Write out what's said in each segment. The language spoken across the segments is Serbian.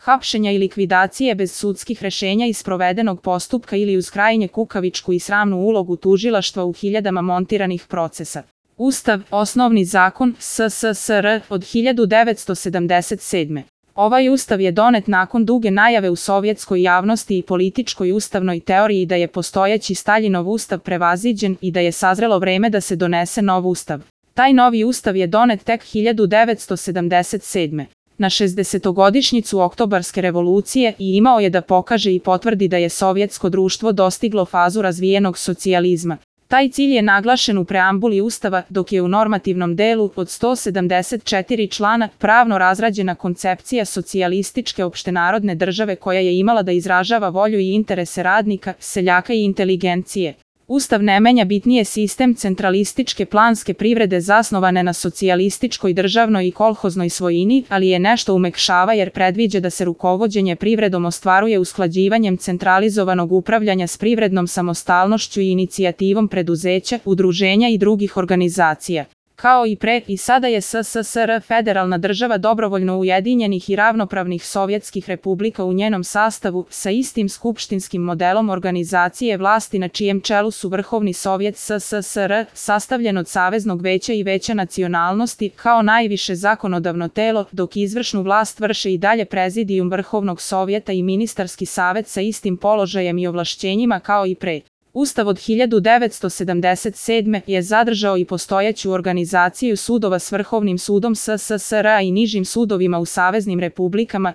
hapšenja i likvidacije bez sudskih rešenja i sprovedenog postupka ili uz krajnje kukavičku i sramnu ulogu tužilaštva u hiljadama montiranih procesa. Ustav, osnovni zakon SSSR od 1977. Ovaj ustav je donet nakon duge najave u sovjetskoj javnosti i političkoj ustavnoj teoriji da je postojeći Staljinov ustav prevaziđen i da je sazrelo vreme da se donese nov ustav. Taj novi ustav je donet tek 1977. na 60-godišnjicu Oktobarske revolucije i imao je da pokaže i potvrdi da je sovjetsko društvo dostiglo fazu razvijenog socijalizma. Taj cilj je naglašen u preambuli Ustava, dok je u normativnom delu od 174 člana pravno razrađena koncepcija socijalističke opštenarodne države koja je imala da izražava volju i interese radnika, seljaka i inteligencije. Ustav ne menja bitnije sistem centralističke planske privrede zasnovane na socijalističkoj državnoj i kolhoznoj svojini, ali je nešto umekšava jer predviđa da se rukovođenje privredom ostvaruje usklađivanjem centralizovanog upravljanja s privrednom samostalnošću i inicijativom preduzeća, udruženja i drugih organizacija. Kao i pre, i sada je SSSR federalna država dobrovoljno ujedinjenih i ravnopravnih sovjetskih republika u njenom sastavu, sa istim skupštinskim modelom organizacije vlasti na čijem čelu su Vrhovni sovjet SSSR, sastavljen od Saveznog veća i Veća nacionalnosti, kao najviše zakonodavno telo, dok izvršnu vlast vrše i dalje Prezidijum Vrhovnog sovjeta i Ministarski savet sa istim položajem i ovlašćenjima kao i pre. Ustav od 1977. je zadržao i postojeću organizaciju sudova s Vrhovnim sudom SSSR-a i nižim sudovima u saveznim republikama,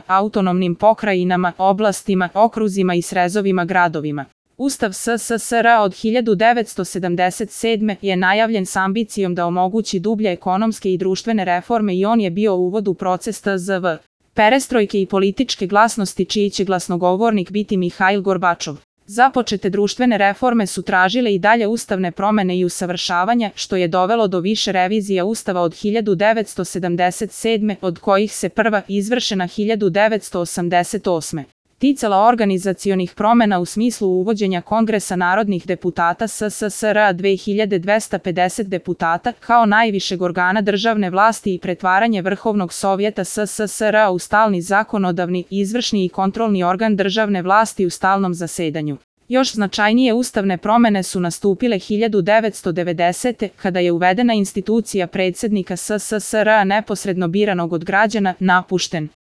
autonomnim pokrajinama, oblastima, okruzima i srezovima gradovima. Ustav SSSR-a od 1977. je najavljen s ambicijom da omogući dublje ekonomske i društvene reforme i on je bio uvod u proces tzv. perestrojke i političke glasnosti čiji će glasnogovornik biti Mihail Gorbačov. Započete društvene reforme su tražile i dalje ustavne promene i usavršavanja, što je dovelo do više revizija Ustava od 1977. od kojih se prva izvršena 1988. ticala organizacionih promena u smislu uvođenja Kongresa narodnih deputata SSSR-a 2250 deputata kao najvišeg organa državne vlasti i pretvaranje Vrhovnog sovjeta SSSR-a u stalni zakonodavni, izvršni i kontrolni organ državne vlasti u stalnom zasedanju. Još značajnije ustavne promene su nastupile 1990. kada je uvedena institucija predsjednika SSSR-a neposredno biranog od građana, napušten.